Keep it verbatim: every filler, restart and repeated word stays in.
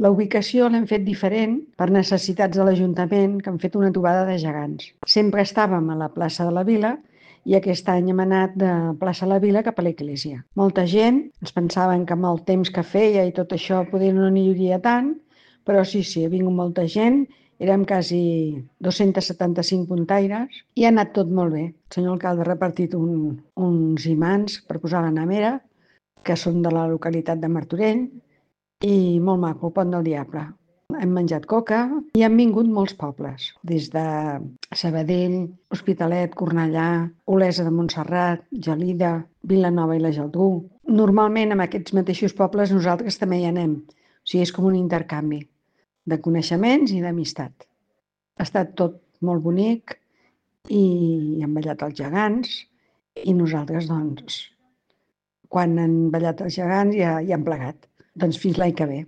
La ubicació l'hem fet diferent per necessitats de l'Ajuntament, que han fet una trobada de gegants. Sempre estàvem a la plaça de la Vila i aquest any hem anat de plaça de la Vila cap a l'església. Molta gent, ens pensaven que amb el temps que feia i tot això poder no n'hi hauria tant, però sí, sí, ha vingut molta gent, érem quasi dos-cents setanta-cinc puntaires i ha anat tot molt bé. El senyor alcalde ha repartit un, uns imants per posar a la nevera, que són de la localitat de Martorell, i molt maco, el Pont del Diable. Hem menjat coca i han vingut molts pobles, des de Sabadell, Hospitalet, Cornellà, Olesa de Montserrat, Gelida, Vilanova i la Geltrú. Normalment, en aquests mateixos pobles, nosaltres també hi anem. O sigui, és com un intercanvi de coneixements i d'amistat. Ha estat tot molt bonic i han ballat els gegants i nosaltres, doncs, quan han ballat els gegants ja, ja han plegat. Doncs fins l'any que ve.